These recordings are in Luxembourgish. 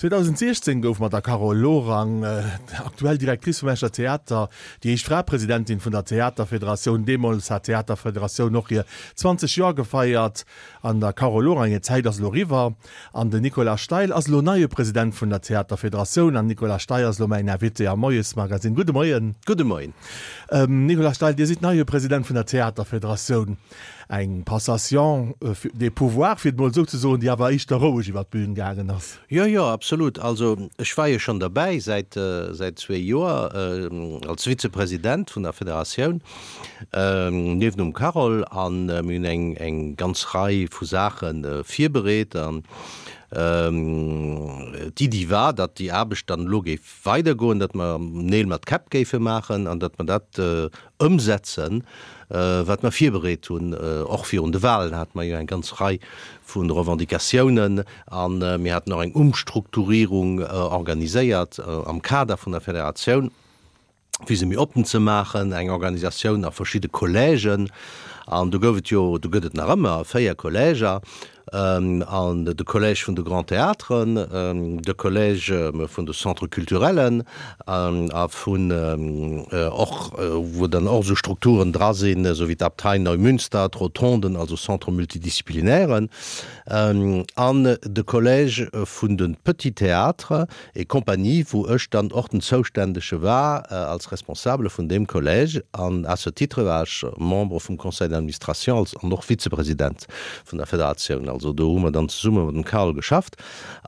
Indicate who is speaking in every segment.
Speaker 1: 2016 gouf mat der Carole Lorang, aktuell Directrice vum Escher Theater, déi éischt Fra Presidentin vun der Theaterfederatioun. Deemools hat d'Theaterfederatioun och hir 20 Joer gefeiert. An der Carole Lorang hir Zäit ass elo eriwwer an den Nicolas Steil ass elo neie President vun der Theaterfederatioun. An Nicolas Steil ass elo mäin Invité am Moiesmagazine. Gudde Moien.
Speaker 2: Gudde Moien.
Speaker 1: Nicolas Steil, Dir sidd neie President vun der Theaterfederatioun. Eng Passation des pouvoirs, fir et mol esou ze soen, déi awer éischter roueg iwwer d'Bühn gaangen ass.
Speaker 2: Jo, jo, absolut. Also ech war jo schonn derbäi säit säit zwee Joer als Vizepresident vun der Federatioun niewent dem Carole a mir hunn eng eng ganz Rei vu Saache virbereet an d'Iddi war, datt déi Aarbecht dann elo géif weidergoen, datt mer Neel mat Käpp géife maachen an datt mer dat ëmsetzen, wat mer virbereet hunn. Och virun de Wahlen hate mer jo eng ganz Rei vu Revendicatiounen a mir haten och eng Umstrukturierung organiséiert am Kader vun der Federatioun, fir se méi oppen ze maachen, eng Organisatioun a verschidde Collègen. An do gouf et jo, do gëtt et nach ëmmer 4 Collèger, an de Collège vun de Grands Théâtres, de Collège vun de Centres culturellen a vun och, wou dann och esou Strukturen dra sinn, esou wéi d'Abtei Neumünster, d'Rotonden, also Centres multidisciplinairen, an de Collège vun de Petits Théâtres et Compagnies, wou ech dann och den Zouständege war als Responsable vun deem Collège. An à ce titre war ech Membre vum Conseil d'administration als an och Vizepresident vun der Federatioun. Also do hu mer dann zesumme mat dem Carl geschafft.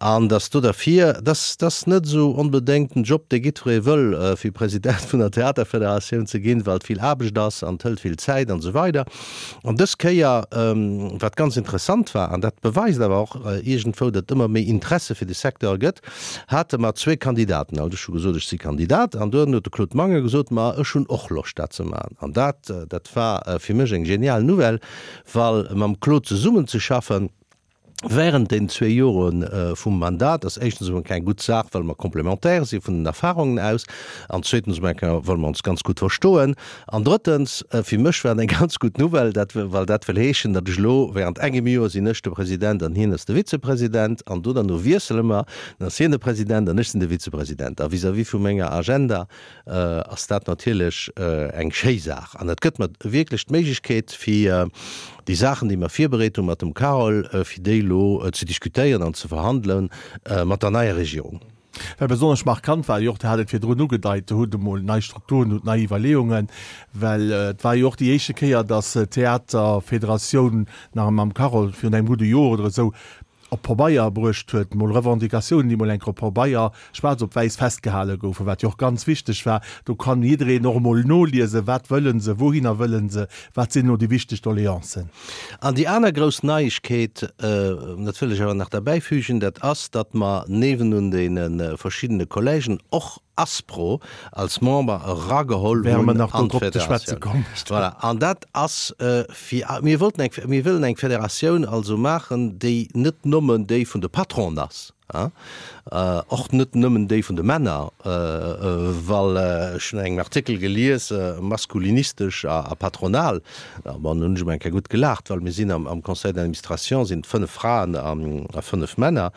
Speaker 2: An dass do derfir, dass dass net esou onbedéngt den Job, dee jiddweree wëll, fir President vun der Theaterfederatioun ze ginn, well et vill Aarbecht ass an et hëlt vill Zäit an esou weider. An dës Kéier, wat ganz interessant war, an dat beweist awer och iergendwou, datt et ëmmer méi Interesse fir de Secteur gëtt, hate mer zwee Kandidaten. Also ech hu gesot, ech si Kandidat, an duerno huet de Claude Mangen gesot, ma ech hunn och Loscht dat ze maachen. An dat, dat war fir mech eng genial Nouvelle, well mam Claude zesummenzeschaffen, Während den zwee Jore vum Mandat ass éischtens emol keng gutt Saach, well mer complémentaire si vun den Erfahrungen aus, an zweetens emol eng Kéier, well mer ons ganz gutt verstoen, an drëttens, fir mech war et eng ganz gutt Nouvelle, dat, well dat wëll heeschen, datt ech elo während engem Joer sinn ech de President an hien ass de Vizepresident, an do derno wiessele mer, dann ass hien de President an ech sinn de Vizepresident. A vis-à-vis vu menger Agenda ass dat natierlech eng schéi Saach an et gëtt mer wierklech d'Méiglechkeet, fir déi Saachen, déi mer virbereet hu mat dem Carole, fir déi elo ze diskutéieren an ze verhandele mat der neier Regierung.
Speaker 1: Well besonnesch markant war jo och, Dir hat et virdrun ugedeit, Der hutt emol nei Strukturen, hutt nei Iwwerleeungen, well et war jo och déi éischte Kéier, datt d'Theaterfederatioun nach mam Carole virun engem gudde Joer oder esou op Pabeier bruecht huet, mol Revendicatiounen, déi mol eng Kéier op Pabeier schwaarz op wäiss festgehale goufen, wat jo och ganz wichteg war. Do kann jiddereen och emol noliesen, wat wëlle se, wouhinner wëlle se, wat sinn elo déi wichteg Doleancen.
Speaker 2: An déi aner grouss Neiegkeet, dat wëll ech awer nach derbäifügen, dat ass, datt mer niewenun deene verschiddene Collègen och Aspro als Member erageholl
Speaker 1: hunn an d'Federatioun.
Speaker 2: Voilà, an dat ass fir, mir wollten eng, mir wëllen eng Federatioun also maachen, déi net nëmmen déi vun de Patronen ass, och net nëmmen déi vun de Männer, well ech hunn engem Artikel gelies, maskulinistesch a patronal, bon, hunn ech emol eng Kéier gutt gelaacht, well mir sinn am Conseil d'administration sinn 5 Fraen a 5 Männer.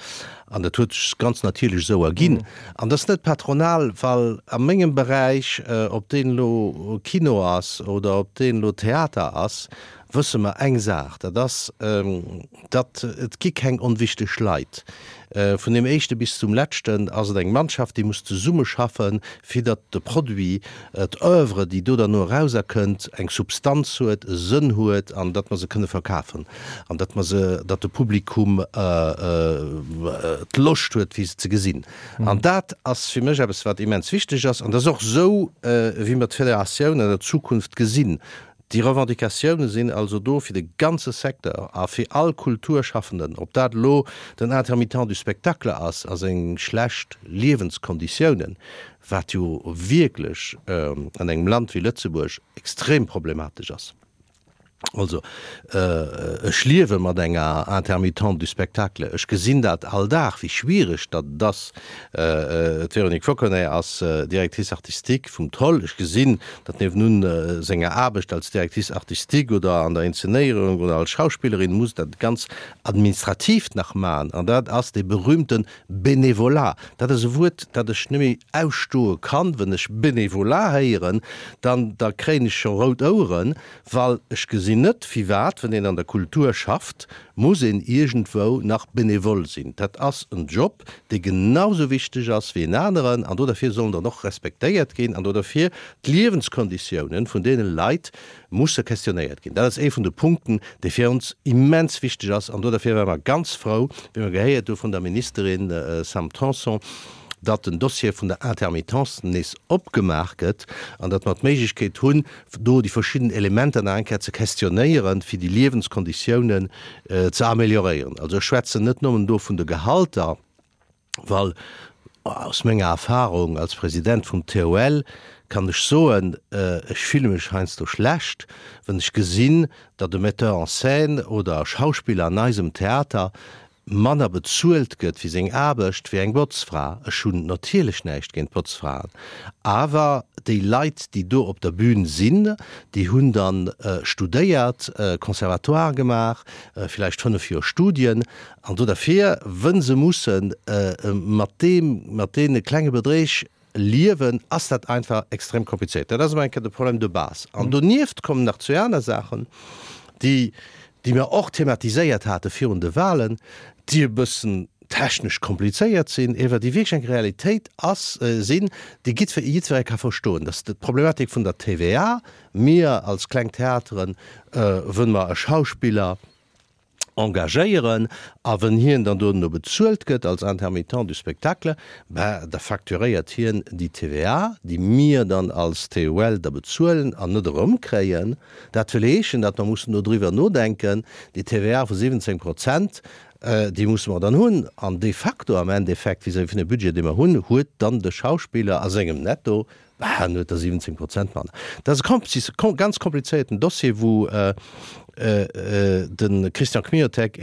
Speaker 2: An dat huet sech ganz natierlech esou erginn. An dat ass net patronal, well a mengem Beräich, ob deen elo Kino ass oder ob deen elo Theater ass, wësse mer eng Saach, dat ass, datt et gi keng onwichteg Leit. Vun deem Éischte bis zum Leschten ass et eng Mannschaft, déi muss zesummeschaffen, fir datt de Produit, d'Oeuvre, déi do derno erauserkënnt, eng Substanz huet, e Sënn huet an datt mer se kënne verkafen an datt mer se, datt de Publikum d'Loscht huet, fir se ze gesinn. An dat ass fir mech eppes, wat immens wichteg ass. An dat ass och esou, wéi mer d'Federatioun an der Zukunft gesinn. Déi Revendicatioune sinn also do fir de ganze Secteur a fir all Kulturschaffenden, ob dat elo den Intermittent du spectacle ass a seng schlecht Liewenskonditiounen, wat jo wierklech an engem Land wéi Lëtzebuerg extrem problematesch ass. Also, ech liewe mat enger Intermittente du spectacle. Ech gesinn dat all Dag, wéi schwiereg datt et ass. D'Véronique Fauconnet ass Directrice artistique vum Toll. Ech gesinn, datt niewenun senger Aarbecht als Directrice artistique oder an der Inzenéierung oder als Schauspillerin muss dat ganz Administratiivt nach maachen. An dat ass dee berühmte Bénévolat. Dat ass e Wuert, dat ech net méi ausstoe kann. Wenn ech Bénévolat héieren, dann da kréien ech scho rout Oueren. Well ech gesinn net, firwat, wann een an der Kultur schafft, muss een iergendwou nach bénévole sinn. Dat ass en Job, dee genau esou wichteg ass wéi en aneren an do derfir soll en dann och respektéiert ginn an do derfir d'Liewenskonditiounen vun deene Leit musse questionnéiert ginn. Dat ass ee vun de Punkten, dee fir ons immens wichteg ass an do derfir ware mer ganz frou, wéi mer gehéiert hu vun der Ministerin Sam Tanson, datt den Dossier vun der Intermittence nees opgemaach gëtt an datt mer d'Méiglechkeet hunn, do déi verschidden Elementer nach eng Kéier ze questionnéieren, fir déi Liewenskonditiounen ze amélioréieren. Also ech schwätzen net nëmmen do vun de Gehalter, well aus menger Erfahrung als President vum TOL kann ech soen, ech fille mech heiansdo schlecht, wann ech gesinn, datt e Metteur en scène oder e Schauspiller an eisem Theater manner bezuelt gëtt fir seng Aarbecht wéi eng Botzfra. Ech hunn natierlech näischt géint Botzfraen, awer déi Leit, déi do op der Bühn sinn, déi hunn da studéiert, Conservatoire gemaach, villäicht 5 Joer Studien, an do derfir, wënn se musse mat deem, mat deene klenge Bedräg liewen, ass dat einfach extrem komplizéiert. Dat ass emol eng Kéier de Problème de base. An donieft kommen nach zwee aner Saachen, déi, déi mer och thematiséiert hate virun de Wahlen, déi e bëssen technesch komplizéiert sinn, ewer déi wierklech eng Realitéit ass, sinn, déi jiddwer, jiddweree ka verstoen. Dat ass d'Problematik vun der TVA. Mir als kleng Theateren, wënn mer e Schauspiller, engagéieren a wënn hien dann dono bezuelt gëtt als Intermittent du spectacle, ben da facturéiert hien déi TVA, déi mir dann als TUL da bezuelen an net erëmkréien. Dat wëll heeschen, datt mer mussen do driwwer nodenken, déi TVA vu 17 Prozent, déi musse mer dann hunn an de facto am Endeffekt vis-à-vis vun dem Budget, dee mer hunn, huet dann de Schauspiller a sengem Netto Bah, en huet der 17 Prozent manner. Dat ass e ganz komplizéierten Dossier, wou de Christian Kmiotek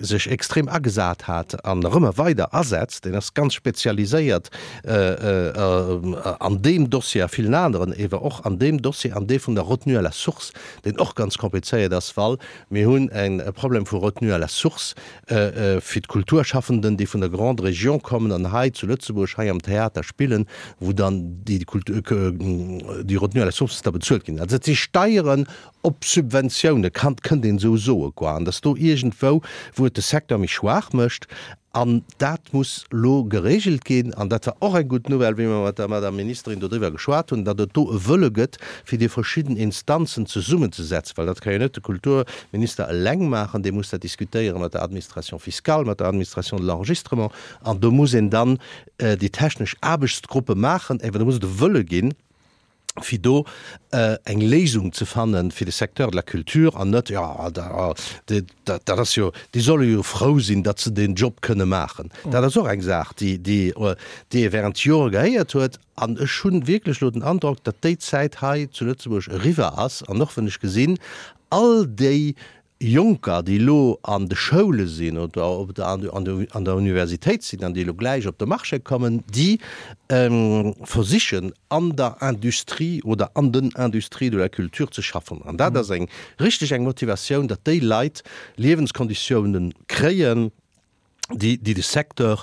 Speaker 2: sech extrem agesat hat an nach ëmmer weider asetzt. Deen ass ganz spezialiséiert an deem Dossier a villen aneren, ewer och an deem Dossier, an dee vun der Retenue à la source, deen och ganz komplizéiert ass, well mir hunn e Problem vu Retenue à la source fir d'Kulturschaffenden, déi vun der Grande Région kommen an hei zu Lëtzebuerg, hei am Theater spillen, wou dann déi déi Retenue à la source da bezuelt ginn. Also dat si Steieren op Subventiounen, kann, kënnt een esou soe quoi, an datt do iergendwou, wou et de Secteur méi schwaach mécht, An dat muss elo geregelt ginn. An dat war och eng gutt Nouvelle, wéi mer mat der Madame Ministerin dodriwwer geschwat hunn, datt et do e Wëlle gëtt, fir déi verschidden Instanzen zesummenzesetzen, well dat ka jo net de Kulturminister eleng maachen, dee muss dat diskutéiere mat der Administration fiscale, mat der Administration de l'enregistrement. An do muss een dann déi technesch Aarbechtsgruppe maachen, awer do muss et e Wëlle ginn, fir do eng Léisung ze fanne fir de Secteur de la culture an net, jo, dat ass jo, déi solle jo frou sinn, datt se deen Job kënne maachen. Dat ass och eng Saach, déi, déi ee während Jore gehéiert huet. An ech hu wierklech elo den Androck, datt déi Zäit hei zu Lëtzebuerg eriwwer ass. An och wann ech gesinn, all déi Jonker, déi elo an de Schoule sinn oder op der, an der Universitéit sinn an déi elo gläich op de Marché kommen, déi versichen an der Industrie oder an den Industries de la culture ze schaffen. An dat ass eng richteg eng Motivatioun, datt déi Leit Liewenskonditiounen kréien, déi déi de Secteur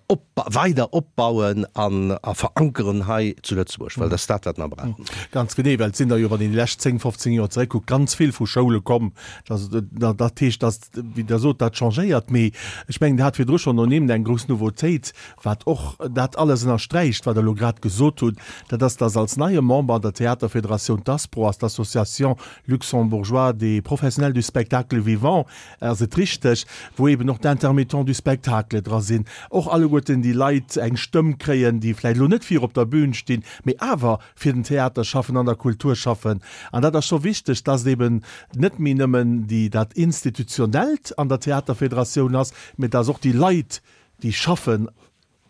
Speaker 2: op weider opbauen an a verankeren hei zu Lëtzebuerg, well dat ass dat, wat mer brauchen.
Speaker 1: Ganz genee, well et sinn der jo, wann een déi lescht 10, 15 Joer zeréckkuckt, ganz vill vu Schoule komm. Dat, dat heescht, dass, wéi Der sot, dat changéiert. Mee ech mengen, Der hat virdru schonn ernimmt, eng grouss Nouveautéit, wat och dat alles ënnersträicht, wat Der elo grad gesot hutt, dat ass, dass als neie Member an der Theaterfederatioun d'ASPRO ass, d'Association luxembourgeoise des professionnels du spectacle vivant, Ass et richteg, wou eben och d'Intermittents du spectacle dra sinn, och alleguerten déi Leit eng Stëmm kréien, déi vläicht elo net vir op der Bühn stinn, mee awer fir den Theater schaffen, an der Kultur schaffen. An dat ass scho wichteg, dass et eben net méi nëmmen déi, dat Institutionellt an der Theaterfederatioun ass, mee dass och déi Leit, déi schaffen.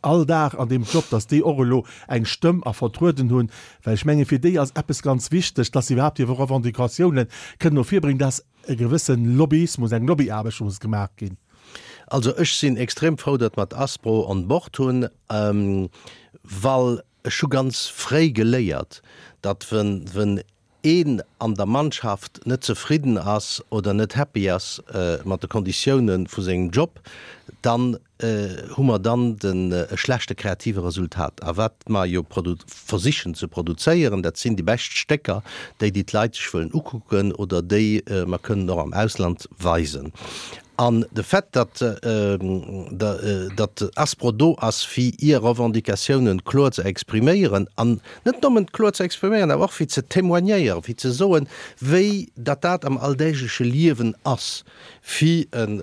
Speaker 1: all Dag an deem Job, dass déi och elo eng Stëmm a vertrueden hunn, well ech menge fir déi ass eppes ganz wichteg, dass se iwwerhaapt hir Revendicatiounen kënnen no vir bréngen, dass e gewësse Lobbyismus, eng Lobbyaarbecht muss gemaach ginn.
Speaker 2: Also ech sinn extrem frou, datt mer d'Aspro on board hunn, well ech hu ganz fréi geléiert, datt wenn een an der Mannschaft net zefridden ass oder net happy ass mat de Konditioune vu sengem Job, dann hu mer dann den e schlechte kreative Resultat. A wat mer jo versichen ze produzéieren, dat sinn déi bescht Stécker, déi déi d'Leit sech wëllen ukucken oder déi mer kënnen och am Ausland weisen. An de Fait, datt datt Aspro do ass, fir hir Revendicatiounen kloer ze expriméieren, an net nëmmen kloer ze expriméieren, awer och fir ze témoignéieren, fir ze soen, wéi datt dat am alldägleche Liewen ass, fir en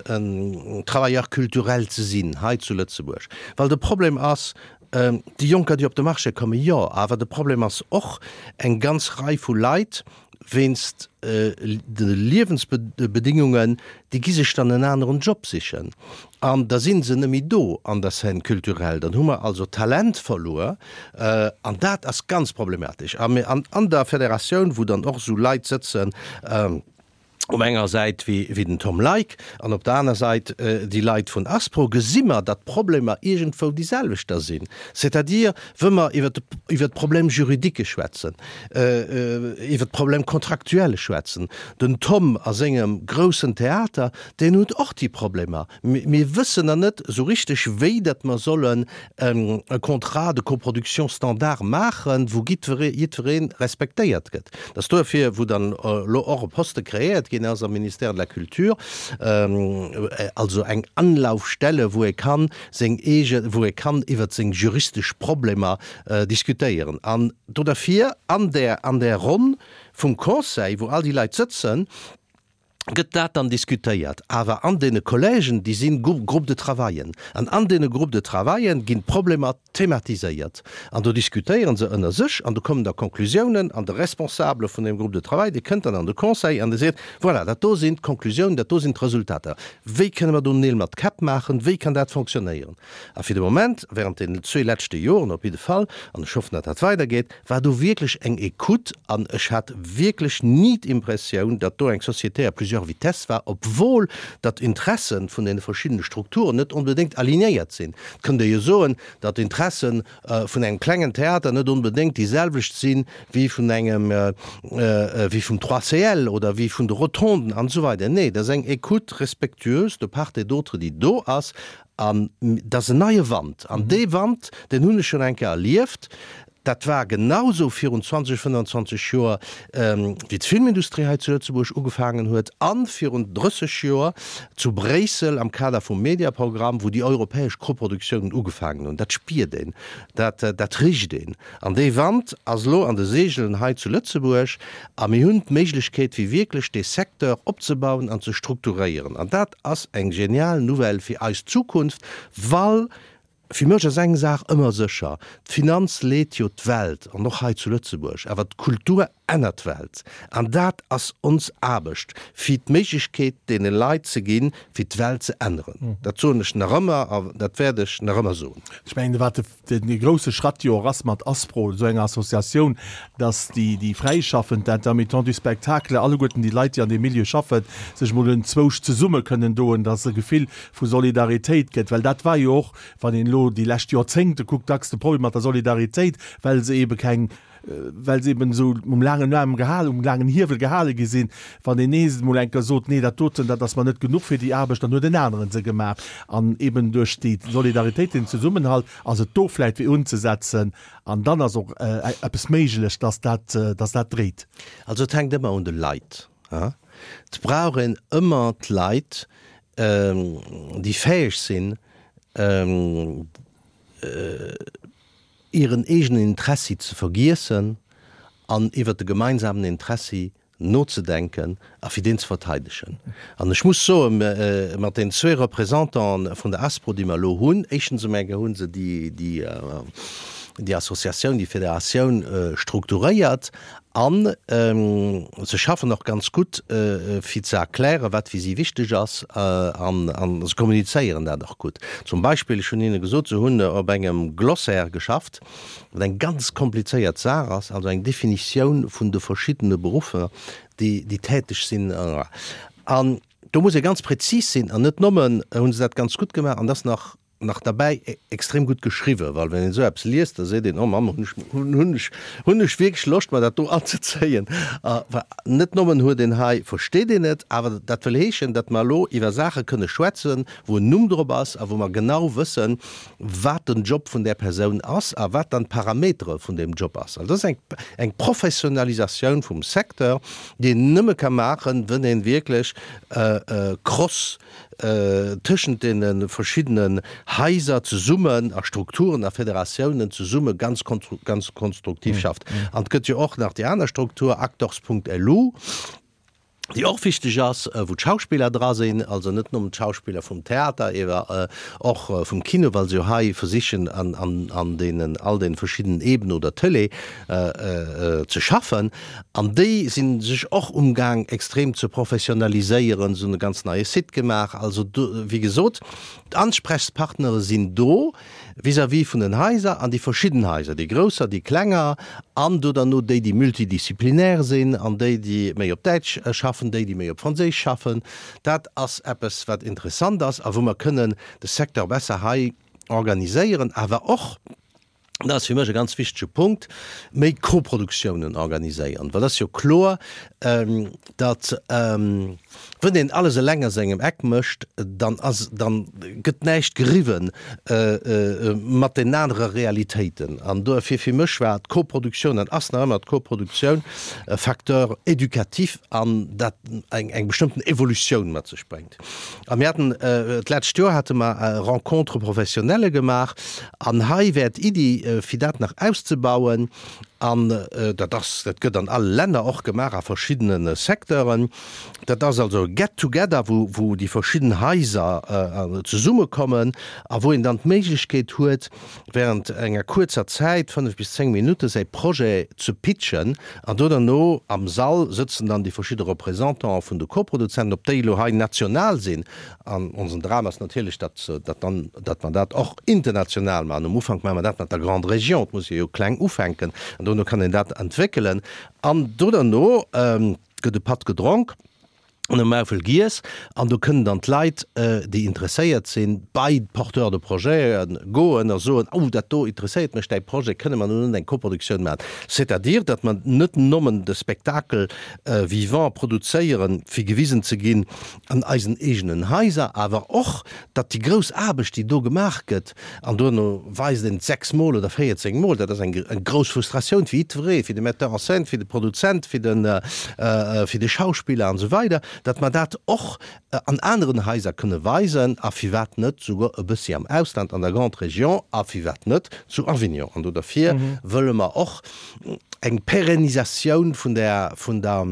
Speaker 2: Travailleur culturel ze sinn hei zu Lëtzebuerg. Well de Problem ass, déi Jonker, déi op de Marché kommen, jo, awer de Problem ass och eng ganz Rei vu Leit, wéinst de Liewensbedingungen, déi gi sech dann en aneren Job sichen an da si se net méi do an der Scène culturelle. Dann hu mer also Talent verluer an dat ass ganz problematesch. A mir an der Federatioun, wou dann och esou Leit sëtzen, op enger Säit wéi den Tom Leick an op der aner Säit déi Leit vun Aspro, gesi mer, datt d'Problemer iergendwou déi selwechter sinn. C'est-à-dire, wë mer iwwer d'Problèmes juridiques schwätzen, iwwer d'Problèmes contractuels schwätzen, den Tom a sengem groussen Theater, deen huet och déi Problemer. Mir wëssen nach net esou richteg, wéi datt mer sollen e Contrat de coproduction standard maachen, wou jiddweree respektéiert gëtt. Dat ass duerfir, wou dann elo och e Poste kreéiert ginn ass am Ministère de la Culture, also eng Anlaufstelle, wou ee kann seng eege, wou ee kann iwwert seng juristesch Problemer diskutéieren. An do derfir an där, an där Ronn vum Conseil, wou all déi Leit sëtzen, gëtt dat dann diskutéiert, awer an deene Collègen, déi si Groupes de travaillen, an an deene Groupes de travaillen ginn d'Problemer thematiséiert an do diskutéiere se ënner sech an do kommen da Conclusiounen an de Responsable vun deem Groupe de travail, dee kënnt dann an de Conseil an dee seet, voilà, dat do sinn d'Conclusiounen, dat do sinn d'Resultater, wéi kënne mer do Neel mat Käpp maachen, wéi kann dat fonctionnéieren? A fir de Moment, während deenen zwee leschte Joren op jidde Fall, an ech hoffen, datt dat weidergeet, war do wierklech eng Ecoute an ech hat wierklech ni d'Impressioun, datt do eng Société à plusieurs vitesses war, obwohl datt d'Interessen vun deene verschiddene Strukturen net onbedéngt alignéiert sinn. Et kënnt ee jo soen, datt d'Interessen vun engem klengen Theater net onbedéngt déi selwecht sinn wéi vun engem, wéi vum 3CL oder wéi vun de Rotonden an esou weider. Nee, et ass eng Ecoute respectueuse de part et d'autre, déi do ass An et ass en neie Wand. An dee Wand, deen hunn ech schonn eng Kéier erlieft. Dat war genausou virun 20, 25 Joer, wéi d'Filmindustrie hei zu Lëtzebuerg ugefaangen huet, a virun 30 Joer zu Bréissel am Kader vum Mediaprogramm, wou déi europäesch Koproduktiounen ugefaangen hunn. Dat spiert een, dat, dat richt een. An dee Wand ass elo an de Seegelen hei zu Lëtzebuerg. A mir hunn d'Méiglechkeet, fir wierklech dee Secteur opzebauen an ze strukturéieren. An dat ass eng genial Nouvelle fir eis Zukunft, well fir mech ass eng Saach ëmmer sécher, D'Finanz leet jo d'Welt, an och hei zu Lëtzebuerg, awer d'Kultur ännert d'Welt. An dat ass ons Aarbecht, fir d'Méiglechkeet deene Leit ze ginn, fir d'Welt ze änneren. Dat soen ech nach ëmmer a dat wäert ech nach ëmmer soen.
Speaker 1: Ech mengen, wat de grousse Schratt jo och ass mat Aspro, esou enger Associatioun, dass déi, déi Fräischaffend, d'Intermittents du spectacle, alleguerten déi Leit, déi an deem Milieu schaffen, sech emol enzwousch zesumme kënnen doen, dass e Gefill vu Solidaritéit gëtt. Well dat war jo och, wann een elo déi lescht Joerzéngte kuckt, dacks de Problem mat der Solidaritéit, well se eebe keng, well se eben esou um laangen Aarm gehalen, um laangen Hiewel gehale gi sinn, wann een nees emol eng Kéier sot, nee dat doten, dat ass mer net genuch fir déi Aarbecht, dann huet en aneren se gemaach. An eben duerch déi Solidaritéit, den Zesummenhalt, ass et do vläicht fir unzesetzen an dann ass och eppes méiglech, dass dat, dass dat dréit.
Speaker 2: Also et hänkt ëmmer un de Leit. Et brauch een ëmmer d'Leit, déi fäeg sinn, hiren eegenen Interessi ze vergiessen an iwwert de gemeinsamen Interessi nozedenken a fir deen ze verteidegen. An ech muss soen, mat den zwee Représentante vun der ASPRO, déi mer elo hunn, éischtens emol hu se déi, déi. déi Associatioun, déi Federatioun strukturéiert an se schaffen och ganz gutt fir ze erklären, wat fir si wichteg ass an se kommunizéieren dat och gutt. Zum Beispill, ech hunn hinne gesot, se hunn op engem Glossaire geschafft, wat eng ganz komplizéiert Saach ass, also eng Definitioun vun de verschiddene Beruffer, déi déi täteg sinn. An do muss ee ganz prezis sinn an net nëmmen hu se dat ganz gutt gemaach an dat ass nach nach derbäi extrem gutt geschriwwen, well wann een esou eppes liest, da seet een, oh Mamm, hunn ech, hunn ech, hunn ech wierklech Loscht mer dat do anzezéien. A net nëmmen huet een hei, versteet een et, awer dat wëll heeschen, datt mer elo iwwer Saache kënne schwätzen, wou en Numm drop ass a wou mer genau wëssen, wat den Job vun där Persoun ass a wat dann d'Parametere vun deem Job ass. Also dat ass eng, eng Professionalisatioun vum Secteur, déi een nëmme ka maachen, wann ee wierklech cross tëschent deene verschiddenen Haiser zesummen a Strukturen a Federatiounen zesumme ganz ganz konstruktiv schafft. An et gëtt jo och nach déi aner Struktur, Actors.lu, déi och wichteg ass, wou d'Schauspiller dra sinn, also net nëmmen d'Schauspiller vum Theater, ewer och vum Kino, well se jo hei versichen an an deenen all deene verschiddenen Ebenen oder Tëlee ze schaffen. An déi si sech och umgaang extrem ze professionaliséieren. Se hunn e ganz neie Site gemaach. Also do, wéi gesot, d'Ansprechspartnere sinn do vis-à-vis vun den Haiser an déi verschidden Haiser, déi grousser, déi klenger an do derno déi, déi multidisziplinär sinn an déi, déi méi op Däitsch schaffen, déi, déi méi op Franséisch schaffen. Dat ass eppes, wat interessant ass a wou mer kënnen de Secteur besser hei organiséieren, awer och, dat ass fir mech e ganz wichtege Punkt, méi Koproduktiounen organiséieren, well et ass jo kloer, datt wann een alles eleng a sengem Eck mécht, dann ass, dann gëtt näischt geriwwen mat den anere Realitéiten. An duerfir fir mech war d'Koproduktioun an ass nach ëmmer d'Koproduktioun e Facteur éducatif an dat eng eng bestëmmten Evolutioun mat sech bréngt. A mir haten, d'lescht Joer hate mer Rencontres professionnelles gemaach an hei wär d'Iddi, fir dat nach auszebauen an dat ass, dat gëtt an alle Länner och gemaach a verschiddene Secteuren. Dat ass also e Get-together, wou, wou déi verschidden Haiser zesummekommen a wou een dann d'Méiglechkeet huet, während enger kuerzer Zäit, 5 bis 10 Minutten, säi Projet ze pitchen an do derno am Sall sëtzen dann déi verschidde Représentante vun de Koproduzenten, ob déi elo hei national sinn, an onsen Dram ass natierlech, datt datt dann, datt mer dat och international maachen. Um Ufank maache mer dat mat der Grande Région, et muss ee jo kleng ufänken an dono kann een dat entwéckelen an do derno gëtt e Patt gedronk. An e Maufel giess an do kënnen dann d'Leit, déi interesséiert sinn, bei d'Porteurs de projeten goen a soen, oh dat do interesséiert mech, däi Projet, kënne mer do net eng Koproduktioun maachen? C'est-à-dire, datt mer net nommen de Spectacle vivant produzéieren, fir gewisen ze ginn an eisen eegenen Haiser, awer och, datt déi grouss Aarbecht, déi do gemaach gëtt, An duerno weist een et 6 Mol oder 14 Mol. Dat ass eng grouss Frustratioun fir jiddweree, fir de Metteur en scène, fir de Produzent, fir de, fir de Schauspiller an esou weider, datt mer dat och an aneren Haiser kënne weisen a firwat net souguer e bëssi am Ausland, an der Grande Région a firwat net zu Avignon. An do derfir wëlle mer och eng Pérennisatioun vun der, vun der,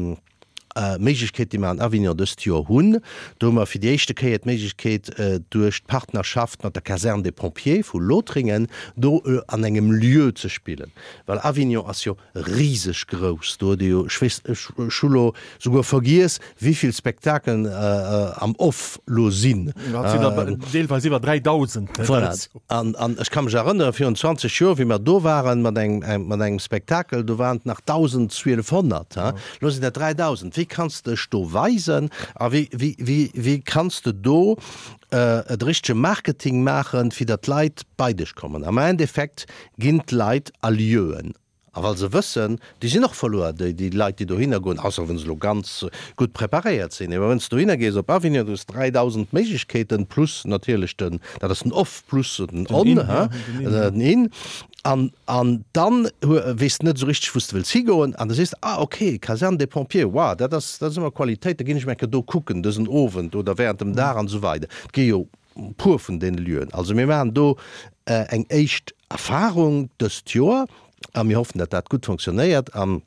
Speaker 2: Méiglechkeet, déi mer an Avignon dëst Joer hunn. Do hu mer fir déi éischte Kéier d'Méiglechkeet, duerch d'Partnerschaft mat der Caserne des Pompiers vu Lothringen do an engem Lieu ze spillen. Well Avignon ass jo riseg grouss. Do huet ee jo, ech weess, ech hu lo souguer vergiess, wéivill Spektakelen am Off lo sinn.
Speaker 1: Dat sinn der deelweis iwwer 3.000.
Speaker 2: Voilà. An, an ech ka mech erënnere virun 20 Joer, wéi mer do waren mat engem, mat engem Spektakel, do waren et nach 1.200, ha. Elo sinn dat 3.000. Wéi kanns de dech do weisen a wéi, wéi, wéi, wéi kanns de do de richtege Marketing maachen, fir datt d'Leit bei dech kommen? Am Endeffekt ginn d'Leit a Lieuen. A well se wëssen, déi sinn och verluer, déi, déi Leit, déi dohinner goen, ausser wa se elo ganz gutt preparéiert sinn. Mä wann s de dohinner gees op Avignon, du hues 3.000 Méiglechkeeten, plus natierlech den, dat ass den Off plus den On, hein, den In. An, an dann hu, weess de net esou richteg, wou s de wëlls higoen. An da sees de, ah okay, Caserne des Pompiers, wow, dat ass, dat ass ëmmer Qualitéit, da ginn ech mol eng Kéier do kucken dësen Owend oder während dem Dag an esou weider. Et gi jo puer vun deene Lieuen. Also mir maachen do eng éischt Erfahrung dëst Joer a mir hoffen, datt dat gutt fonctionnéiert. An.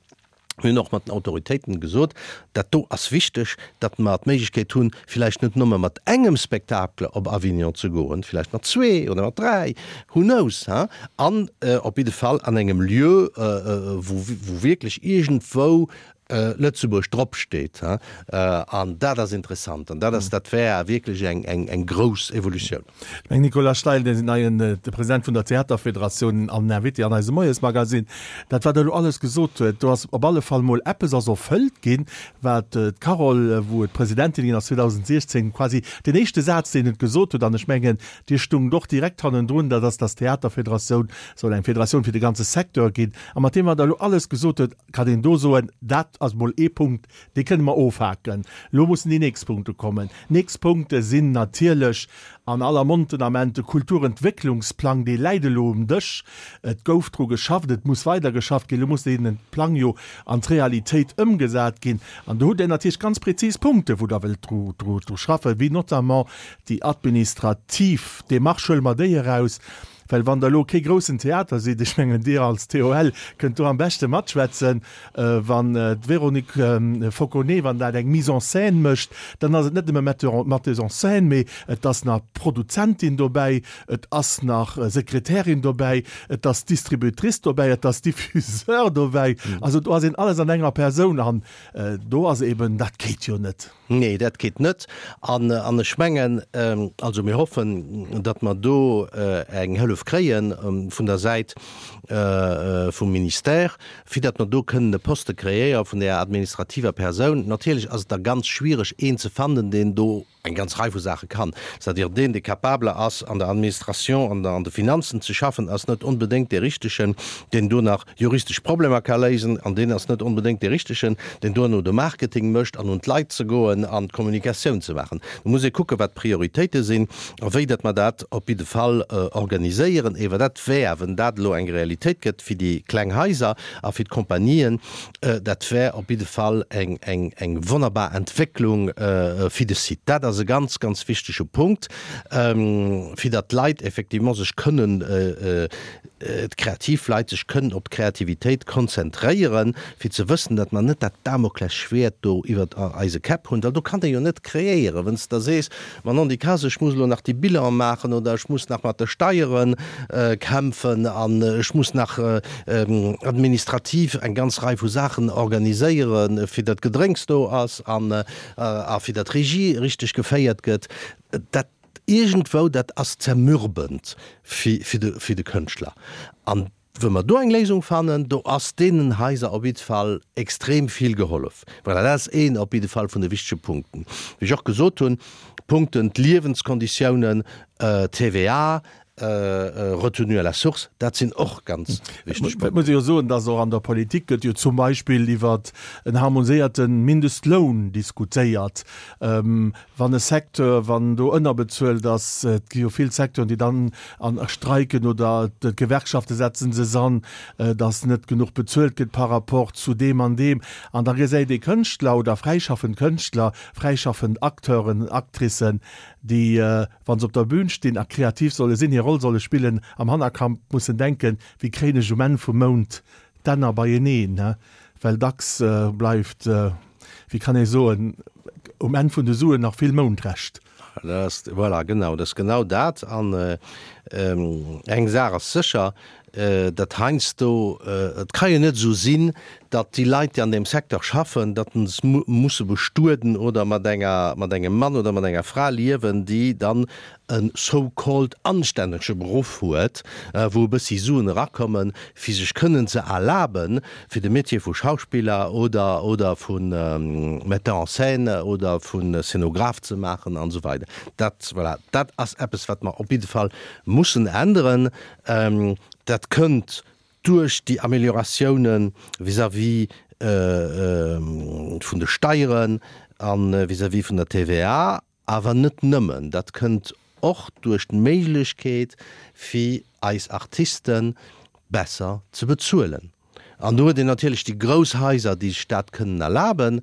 Speaker 2: Mir hunn och mat den Autoritéiten gesot, dat do ass wichteg, datt mer d'Méiglechkeet hunn, villäicht net nëmme mat engem Spectacle op Avignon ze goen, villäicht mat zwee oder mat dräi, who knows, hein, an op jidde Fall an engem Lieu, wou wierklech iergendwou Lëtzebuerg drop steet. An dat ass interessant an dat ass, dat wär wierklech eng grouss Evolutioun.
Speaker 1: Mme Nicolas Steil, den neien President vun der Theaterfederatioun an Invité an eisem Moiesmagazin. Dat wat Der elo alles gesot huet, do ass op alle Fall mol eppes ass erfëllt ginn, wat d'Carole, wou et Presidentin ginn ass 2016, quasi deen éischte Saz deen et gesot huet, an ech mengen Dir stungt och direkt hannendrun, dat ass, dass d'Theaterfederatioun soll eng Federatioun fir de ganze Secteur ginn. A mat deem wat Der elo alles gesot huet, kann een do soen, dat ass mol ee Punkt, dee kënne mer ofhaken. Elo mussen déi nächst Punkte kommen. Nächst Punkte sinn natierlech an aller Mond den Ament de Kulturentwécklungsplang, dee läit elo um Dësch. Et gouf dru geschafft, et muss weider geschafft ginn. Elo muss dee Plang jo an d'Realitéit ëmgesat ginn. An do hutt Der natierlech ganz prezis Punkte, wou Der wëllt dru schaffen, wéi notamment déi administrativ Démarche, huele mer déi eraus. Well wann Der elo kee groussen Theater sidd, ech mengen Dir als TOL kënnt do am beschte matschwätzen, wann d'Véronique Fauconnet, wann dat eng Mise en scène mécht, dann ass et net nëmme Metteuse en scène, mee et ass nach Produzentin dobäi, et ass nach Sekretärin dobäi, et ass Distributrice dobäi, et ass Diffuseur dobäi. Also do ass een alles an enger Persoun an do ass eben, dat geet jo net.
Speaker 2: Nee, dat geet net. An, an ech mengen, also mir hoffen, datt mer do eng Hëllef kréie vun der Säit vum Ministère, fir datt mer do kënnen e Poste kreéiere vun där administrativer Persoun. Natierlech ass et da ganz schwiereg, een ze fannen, deen do eng ganz Rei vu Saache kann. C'est-à-dire deen, dee capable ass, an der Administration an an de Finanzen ze schaffen, ass net onbedéngt dee Richtegen, deen do nach juristesch Problemer ka léisen, an deen ass net onbedéngt dee Richtegen, deen duerno de Marketing mécht an un d'Leit ze goen an d'Kommunikatioun ze maachen. Do muss ee kucken, wat d'Prioritéite sinn a wéi datt mer dat op jidde Fall organiséieren. Ewer dat wär, wenn dat elo eng Realitéit gëtt fir déi kleng Haiser a fir d'Compagnien, dat wär op jidde Fall eng, eng, eng wonnerbar Entwécklung fir de Site. Dat ass e ganz, ganz wichtege Punkt, fir datt d'Leit effectivement sech kënnen, d'kreativ Leit sech kënnen op d'Kreativitéit konzentréieren, fir ze wëssen, datt mer net dat Damoklesschwäert do iwwert eise Käpp hunn, well do kann ee jo net kreéieren, wann s de da sees, Ma non, déi Kas, ech muss elo nach déi Bilan maachen oder ech muss nach mat de Steiere kämpfen an ech muss nach administrativ eng ganz Rei vu Saachen organiséieren, fir datt Gedrénks do ass an a fir datt d'Regie richteg geféiert gëtt. Dat iergendwou, dat ass zermürbend fir de Kënschtler. An Wou mer do eng Léisung fannen, do ass deenen Haiser op jidde Fall extrem vill gehollef. Voilà, dat ass een op jidde Fall vun de wichtege Punkten. Wéi ech och gesot hunn, Punkten, d'Liewenskonditiounen, TVA, Retenue à la source, dat sinn och ganz wichteg
Speaker 1: Punkten. Et muss ee jo soen, dass och an der Politik gëtt jo zum Beispill iwwer en harmoniséierte Mindestloun diskutéiert. Wann e Secteur, wann do ënnerbezuelt ass, et gi jo vill Secteuren, déi dann an streiken oder d'Gewerkschafte setze sech an, datt net genuch bezuelt gëtt par rapport zu deem an deem. An da gesäit ee Kënschtler oder fräischaffend Kënschtler, fräischaffend Acteuren, Actricen, déi, wa se op der Bühn stinn a kreativ solle sinn, hir Roll solle spillen, am Hannerkamp mussen denken, wéi kréien ech um Enn vum Mount d'Enner beieneen, well dacks bleift, wéi kann ee soen, um Enn vun de Suen nach vill Moundrescht.
Speaker 2: Voilà, genau, dat ass genau dat. An eng Saach ass sécher, datt heiansdo, et ka jo net esou sinn, datt déi Leit, déi an deem Secteur schaffen, datt se musse bestueden oder mat enger, mat engem Mann oder mat enger Fra liewen, déi dann e so called anstännege Beruff huet, wou e bëssi Suen erakommen, fir sech kënnen ze erlaben, fir de Métier vu Schauspiller oder oder vu Metteur en scène oder vu Szenograph ze maachen an esou weider. Dat, voilà, dat ass eppes, wat mer op jidde Fall mussen änneren. Dat kënnt duerch déi Amélioratioune vis-à-vis vun de Steieren a vis-à-vis vun der TVA. Awer net nëmmen, dat kënnt och duerch d'Méiglechkeet fir eis Artiste besser ze bezuelen. An do huet een natierlech déi grouss Haiser, déi sech dat kënnen erlaben,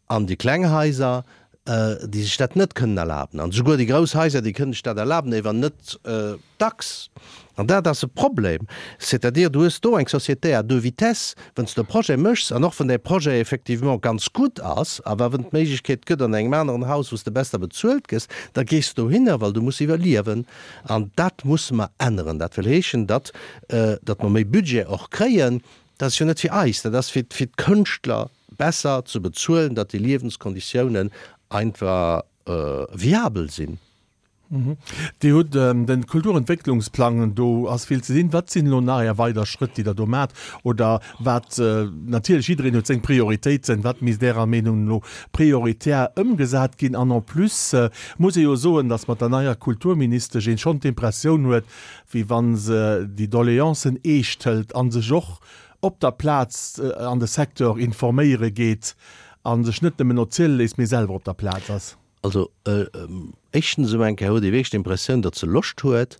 Speaker 2: an déi kleng Haiser. déi sech dat net kënnen erlaben. An esouguer déi grouss Haiser, déi kënnen sech dat erlaben, éiwer net dacks. An dat ass e Problem. C'est-à-dire, du hues do eng Société à deux vitesses, Wann s de e Projet méchs, an och wann däi Projet effectivement ganz gutt ass, awer wann et d'Méiglechkeet gëtt an engem aneren Haus, wou s de besser bezuelt gëss, da gees de dohinner, well du muss iwwerliewen. An dat musse mer änneren. Dat wëll heeschen, datt, datt mer méi Budget och kréien. Dat ass jo net fir eis, dat ass fir, fir d'Kënschtler besser ze bezuelen, datt déi Liewenskonditiounen einfach viabel sinn.
Speaker 1: Dir hutt de Kulturentwécklungsplang, do ass vill ze dinn. Wat sinn elo nach Är weider Schrëtt, déi Der do maacht? Oder wat, natierlech jiddereen huet seng Prioritéiten, wat misst Ärer Meenung no prioritär ëmgesat ginn? An en plus muss ee jo soen, datt mat der neier Kulturministesch een schonn d'Impressioun huet, wéi wa se déi Doleancen eescht hëlt a sech och op der Plaz an de Secteur informéiere geet a sech net nëmmen erziele léisst, mee selwer op der Plaz ass.
Speaker 2: Also, éischtens emol eng Kéier huet ee wierklech d'Impressioun, datt se Loscht huet,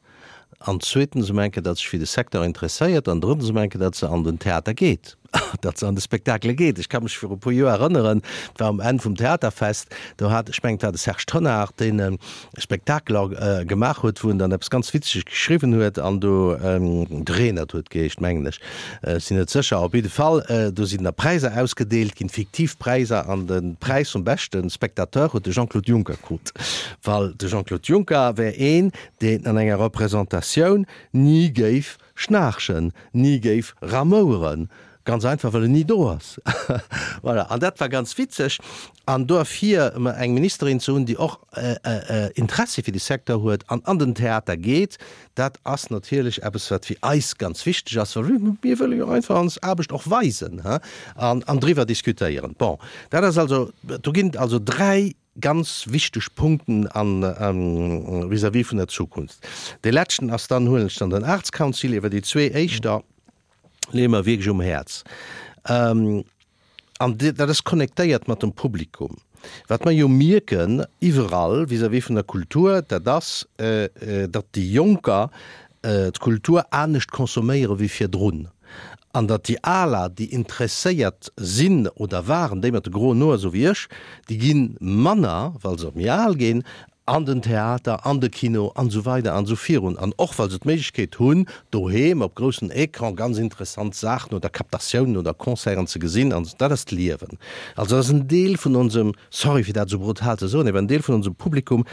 Speaker 2: an zweetens emol eng Kéier, datt sech fir de Secteur interesséiert, an drëttens emol eng Kéier, datt se an den Theater geet, datt se an de Spektakele geet. Ech ka mech viru e puer Joer erënneren, et war um Enn vum Theaterfest, do hat, ech mengen, et war de Serge Tonnar, deen e Spektakel gemaach huet, wou en dann eppes ganz Witzeges geschriwwen huet, an do, de Renert huet geheescht, mengen ech, Ech sinn net sécher. Op jidde Fall, do sinn da Präiser ausgedeelt ginn, fiktiv Präiser, an de Präis vum beschte Spectateur huet de Jean-Claude Juncker krut. Well de Jean-Claude Juncker wär een, deen an enger Representatioun ni géif schnaarchen, ni géif ramoueren, ganz einfach, well en ni do ass. Voilà, an dat war ganz witzeg. An duerfir eng Ministerin ze hunn, déi och Interessi fir de Secteur huet an an den Theater geet, dat ass natierlech eppes, wat fir eis ganz wichteg ass, well mir wëlle jo einfach ons Aarbecht och weisen an driwwer diskutéieren. Bon, dat ass also, do ginn et also dräi ganz wichteg Punkten vis-à-vis vun der Zukunft. Dee leschten ass dann, huelen ech dann den Arts Council, iwwer déi zwee éischter leeë mer wierklech um Häerz. An dat ass connectéiert mat dem Publikum. Wat mer jo mierken iwwerall vis-à-vis vun der Kultur, dat ass, datt déi Jonker d'Kultur anescht consomméiere wéi virdrun. An datt déi Aler, déi interesséiert sinn oder waren, déi mat de groen Hoer, esou wéi ech, déi gi manner, well se méi al ginn, an den Theater, an de Kino an esou weider an esou virun, an och well se d'Méiglechkeet hunn, doheem op groussen Ecran ganz interessant Saachen oder Captatiounen oder Concerten ze gesinn. An dat ass d'Liewen. Also dat ass en Deel vun onsem, sorry fir dat esou brutal ze soen, awer en Deel vun onsem Publikum,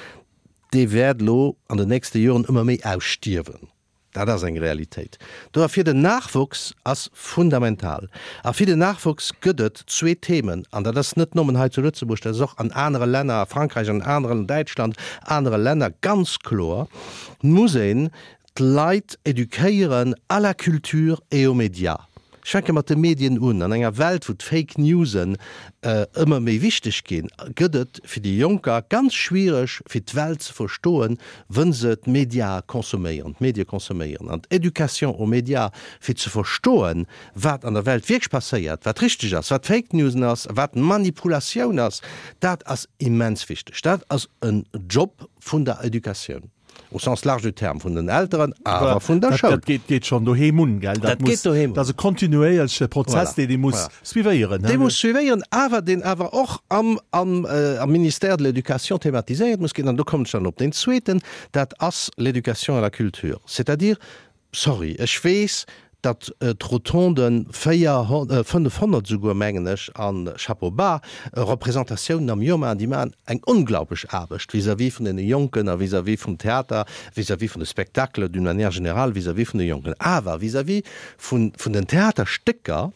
Speaker 2: dee wäert elo an den nächste Joren ëmmer méi ausstierwen. Dat ass eng Realitéit. Dofir den Nachwuchs ass fundamental. A fir den Nachwuchs gëtt et zwee Themen, an dat ass net nommen hei zu Lëtzebuerg, dat ass och an anere Länner, a Frankräich, an aneren, Däitschland, anere Länner ganz kloer, muss een d'Leit éduquéieren à la culture et aux médias. Ech fänke mat de Medien un. An enger Welt, wou d'Fake Newsen ëmmer méi wichteg ginn, gëtt et fir déi Jonker ganz schwiereg, fir d'Welt ze verstoen, wënn se d'Mediae consomméieren, d'Medie consomméieren. An d'Éducation aux médias, fir ze verstoen, wat an der Welt wierklech passéiert, wat richteg ass, wat Fake Newsen ass, wat Manipulatioun ass, dat ass immens wichteg. Dat ass en Job vun der Educatioun. Au sens large du terme, vun den Elteren, awer vun der Schoul.
Speaker 1: Dat geet, geet schonn doheem un, gell?
Speaker 2: Dat geet doheem un.
Speaker 1: Dat ass e kontinuéierleche Prozess, deen ee muss suivéieren.
Speaker 2: Dee muss suivéieren, awer deen awer och am, am, am Ministère de l'Éducation thematiséiert muss ginn. An do kommen ech dann op deen zweeten, dat ass l'éducation à la culture. C'est-à-dire, Sorry, ech weess, datt d'Rotonden 400, 500 esouguer, mengen ech, a Chapeau bas, Representatiounen am Joer maachen. Déi maachen eng onglaublich Aarbecht vis-à-vis vun deene Jonken a vis-à-vis vum Theater, vis-à-vis vun de Spectacles d'une manière générale, vis-à-vis vun de Jonken. Awer vis-à-vis vun den Theaterstécker,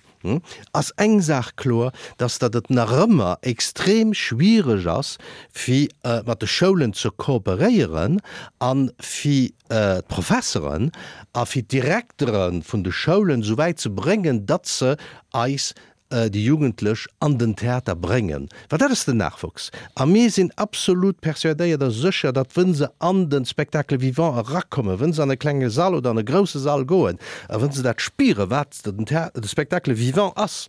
Speaker 2: Ass eng Saach kloer, dass datt et nach ëmmer extrem schwiereg ass fir mat de Schoulen ze kooperéieren a fir d'Professeren a fir d'Direktere vun de Schoulen esou wäit ze bréngen, datt se eis déi Jugendlech an den Theater bréngen, well dat ass den Nachwuchs. A mir sinn absolut persuadéiert a sécher, datt wënn se an de Spectacle vivant erakommen, wënn se an e klenge Sall oder an e grousse Sall goen a wënn se dat spieren, wat den Theater, de Spectacle vivant ass.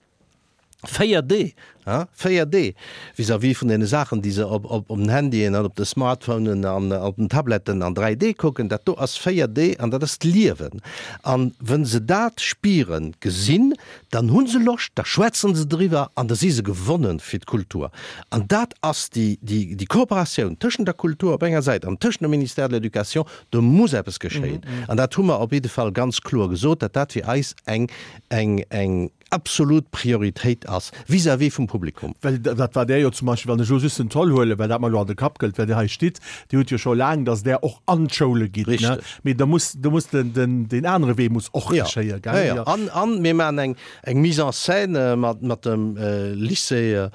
Speaker 2: 4D, ha, 4D, vis-à-vis vun deene Saachen, déi se op, op, op den Handyen an op de Smartphonen an op den Tabletten an 3D kucken, dat do ass 4D an dat ass d'Liewen. An wa se dat spieren, gesinn, dann hu se Loscht, da schwätzen se driwwer an da si se gewonnen fir d'Kultur. An dat ass déi, déi, déi Kooperatioun tëschent der Kultur op enger Säit an tëschent dem Ministère de l'Éducation, do muss eppes geschéien. An dat hu mer op jidde Fall ganz kloer gesot, datt dat fir eis eng, eng, eng absolut Prioritéit ass vis-à-vis vum Publikum.
Speaker 1: Well dat war Där jo zum Beispill, wann ech elo just den Zoll huelen, well dat mer elo an de Kapp gëllt, well Dir hei stitt, Dir hutt jo scho laang, datt Där och an d'Schoule gitt, ne?
Speaker 2: Richteg.
Speaker 1: Mee da muss, do muss den, den, deen anere Wee muss och
Speaker 2: Jo,
Speaker 1: geschéien,
Speaker 2: jo,
Speaker 1: gell?
Speaker 2: jo.
Speaker 1: Jo.
Speaker 2: An, an mir maachen eng, eng Mise en scène mat, mat dem Lycée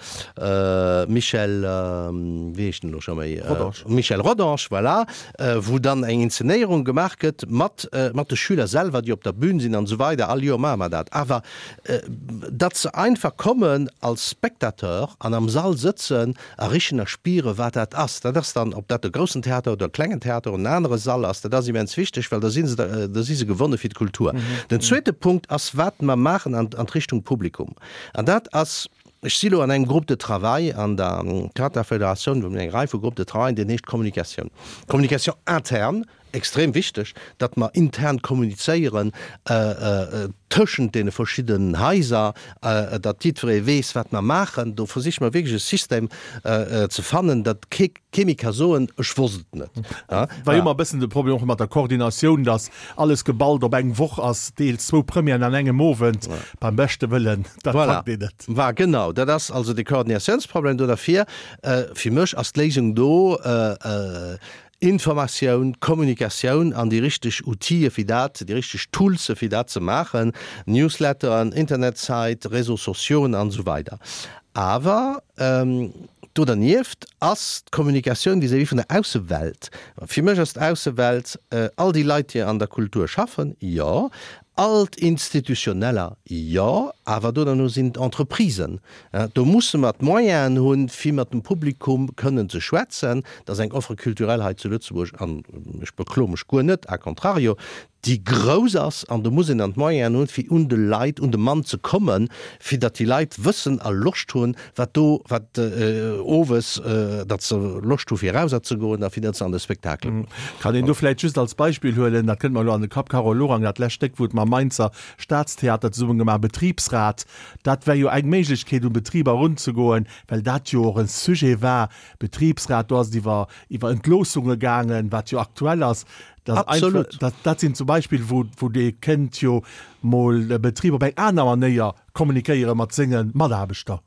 Speaker 2: Michel, wéi heescht en elo scho méi?
Speaker 1: Rodange.
Speaker 2: Michel Rodange, voilà, wou dann eng Inzenéierung gemaach gëtt mat, mat de Schüler selwer, déi op der Bühn sinn an esou weider. All Joer maache mer dat. Awer datt se einfach kommen als Spectateur an am Sall sëtzen a richen a spieren, wat dat ass. Dat ass dann, ob dat e groussen Theater oder e klengen Theater oder en anere Sall ass, dat ass immens wichteg, well da si se, da si se gewonne fir d'Kultur. Den zweete Punkt ass, wat mer maachen an Richtung Publikum. An dat ass, Ech si lo an engem Groupe de travail an der Theaterfederatioun, wou mir eng Rei vu Groupes de travail, deen heescht Kommunikatioun. Communication interne, extrem wichteg, datt mer intern kommunizéieren tëschent deene verschiddenen Haiser, datt jiddweree weess, wat mer maachen. Do versiche mer wierklech e System ze fannen, datt kee kee méi ka soen, ech wosst et net.
Speaker 1: War jo ëmmer e bëssen de Problem och mat der Koordinatioun, datt alles geballt op eng Woch ass, deels zwou Premièren an engem Owend, beim beschte Wëllen, dat packt een net.
Speaker 2: Voilà, genau, dat ass also de Koordinatiounsproblem do. Derfir, fir mech ass d'Léisung do, Informatioun, Kommunikatioun an déi richteg Outile fir dat, déi richteg Toolse fir dat ze maachen, Newsletteren, Internetsite, Réseaux sociauxen an esou weider. Awer do dernieft ass d'Kommunikatioun vis-à-vis vun der Aussewelt. Fir mech ass d'Aussewelt all déi Leit, déi an der Kultur schaffen, jo, all d'Institutioneller, jo, awer do derno sinn d'Entreprisen. Do musse mer d'Moyenen hunn, fir mat dem Publikum kënnen ze schwätzen. Dat ass eng Offre culturelle hei zu Lëtzebuerg, an ech bekloe mech guer net, a contrario, déi grouss ass, an do muss een dann d'Moyenen hunn, fir un de Leit, un de Mann ze kommen, fir datt déi Leit wëssen a Loscht hunn, wat do, wat owes, datt se Loscht hu fir erauser ze goen a fir datt se an de Spektakel goen.
Speaker 1: Kann een do vläicht just als Beispill huelen, dat kënnt mer elo an de Kapp, Carole Lorang, dat lescht Stéck, wou et mam Mainzer Staatstheater zesummen gemaach, Betriebsrat, dat wär jo eng Méiglechkeet, un Betriber erunzegoen, well dat jo och e Sujet war, Betriebsrat, do ass et iwwer, iwwer Entloossunge gaangen, wat jo aktuell ass. Dat
Speaker 2: Absolut.
Speaker 1: Einfach, dat, dat sinn zum Beispill, wou, wou dee kënnt jo mol e Betrib op eng aner Manéier kommunikéiere mat senge Mataarbechter.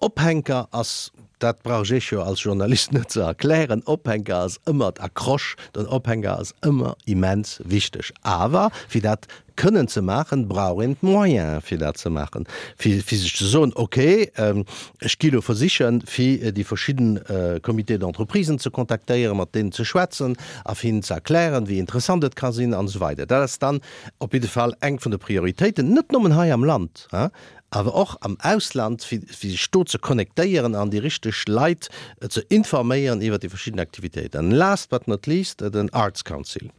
Speaker 2: Ophänker ass, dat brauch ech jo als Journalist net ze erklären, Ophänker ass ëmmer d'Accroche, den Ophänker ass ëmmer immens wichteg. Awer fir dat kënnen ze maachen, brauch een d'Moyene fir dat ze maachen, fir fir sech ze soen, okay, ech gi lo versichen, fir déi verschidden Comités d'entreprisen ze kontaktéieren, mat deenen ze schwätzen a fir hinnen ze erklären, wéi interessant et ka sinn an esou weider. Dat ass dann op jidde Fall eng vun de Prioritéiten, net nëmmen hei am Land, awer och am Ausland, fir fir sech do ze connectéieren an déi richteg Leit ze informéieren iwwert déi verschidden Aktivitéiten. An last but not least, den Arts Council.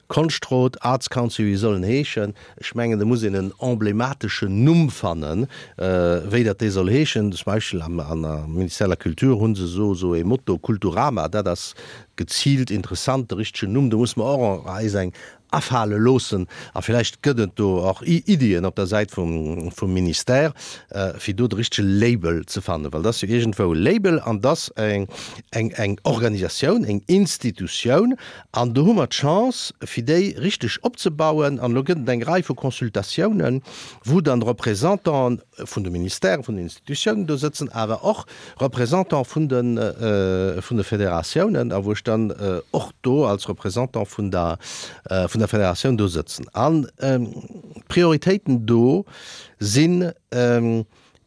Speaker 2: Konschtrot, Arts Council, wéi soll en heeschen? Ech mengen, do muss een en emblemateschen Numm fannen, wéi dat dee soll heeschen. Zum Beispill am Ministère de la Culture hu se esou esou ee Motto, Kulturama, dat ass geziilt interessant, de richtegen Numm. Do musse mer och eis eng afale loossen a villäicht gëtt et do och Iddien op der Säit vum Ministère, fir do de richtege Label ze fannen, well et ass jo iergendwou e Label an et ass eng Organisatioun, eng Institutioun An do hu mer d'Chance, fir déi richteg opzebauen. An elo gëtt et eng Rei vu Consultatiounen, wou dann Représentante vun de Ministèren, vun den Institutiounen do sëtzen, awer och Représentante vun de, vun de Federatiounen, a wou ech dann och do als Représentant vun der, vun der Federatioun do sëtzen. An d'Prioritéiten do sinn,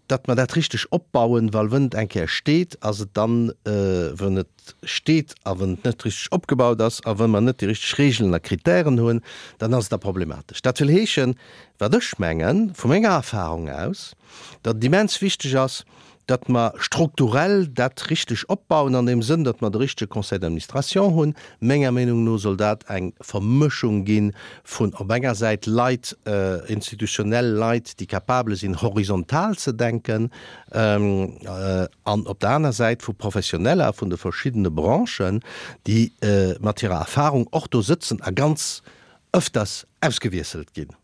Speaker 2: datt mer dat richteg opbauen, well wënn et eng Kéier steet, ass et dann, wënn et steet a wënn et net richteg opgebaut ass a wënn mer net déi richteg Regeln a Kritären hunn, dann ass et da problematesch. Dat wëll heeschen, wat ech mengen, vu menger Erfahrung aus, datt et immens wichteg ass, datt mer strukturell dat richteg opbauen an deem Sënn, datt mer de richtege Conseil d'administration hunn. Menger Meenung no soll dat eng Vermëschung gi vun op enger Säit Leit, institutionell Leit, déi capabele sinn horizontal ze denken, an op der aner Säit vu Professioneller vun de verschiddene Branchen, déi mat hirer Erfahrung och do sëtzen a ganz öfters ausgewiesselt ginn.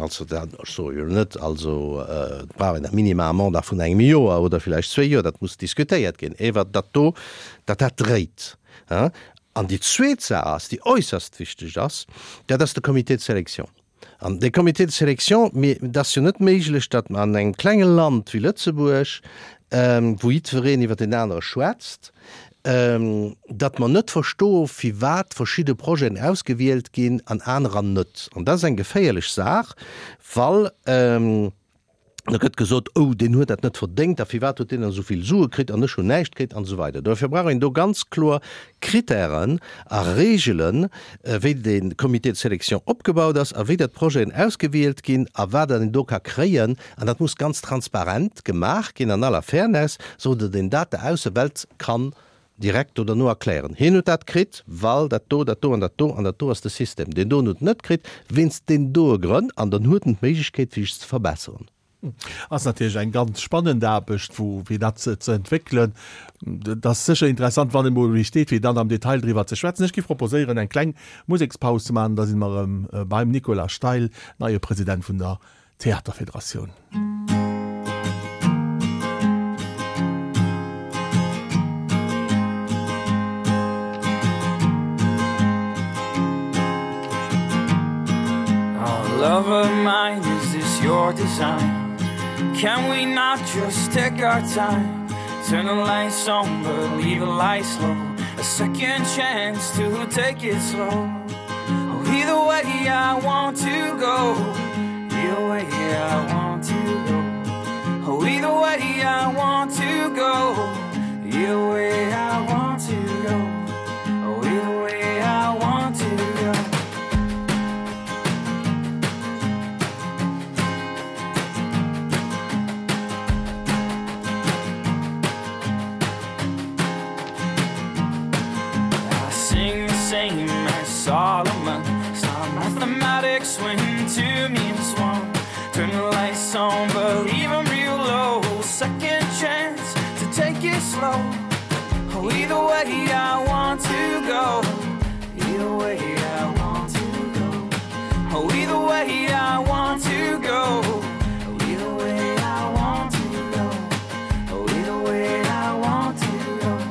Speaker 2: Also dat, ech soe jo net, also et brauch een a minima e Mandat vun engem Joer oder villäicht zwéi Joer, dat muss diskutéiert ginn, ewer datt do, datt dat dréit. An déi zweet Saach ass, déi äusserst wichteg ass, dat ass de Comité de sélection. An dee Comité de sélection, mir, et ass jo net méiglech, datt mer an engem klenge Land wéi Lëtzebuerg, wou jiddwereen iwwer deen anere schwätzt, datt mer net verstoe firwat verschidde Projeten ausgewielt ginn an anerer net. An dat ass eng geféierlech Saach, well da gëtt gesot, oh deen huet dat net verdéngt a firwat huet deen dann esou vill Sue kritt an ech hunn näischt kritt an esou weider. Dofir brauch een do ganz kloer Krittären a Reegelen, wéi de Comité de sélection opgebaut ass a wéi dat d'Projeten ausgewielt ginn a wat een do ka kréien. An dat muss ganz transparent gemaach ginn an aller Fairness, sou datt een dat der Aussewelt kann direkt do derno erklären. Hien huet dat kritt, well dat do, dat do an dat do an dat do ass de System. Deen doen huet en net kritt, wéinst deenen doe Grënn. An dann huet en d'Méiglechkeet, fir sech ze verbesseren.
Speaker 1: Ass natierlech eng ganz spannend Aarbecht, wou fir dat ze entwéckelen. Et ass sécher interessant, wann emol wéi steet, fir dann am Detail driwwer ze schwätzen. Ech géif proposéieren, eng kleng Musekspaus ze maachen, da si mer erëm beim Nicolas Steil, neie President vun der Theaterfederatioun.
Speaker 3: Love of mine, is this your design? Can we not just take our time? Turn the lights on, but leave the lights low. A second chance to take it slow. Oh, either way I want to go. Either way I want to go. Oh, either way I want to go. Either way I want to go. Oh, either way I want to go. I sing the same as Solomon. It's not mathematics when two means one. Turn the lights on, but leave 'em real low. Second chance to take it slow. Oh, either way I want to go. Either way I want to go. Oh, either way I want to go. Oh, either way I want to go. Oh, either way I want to go.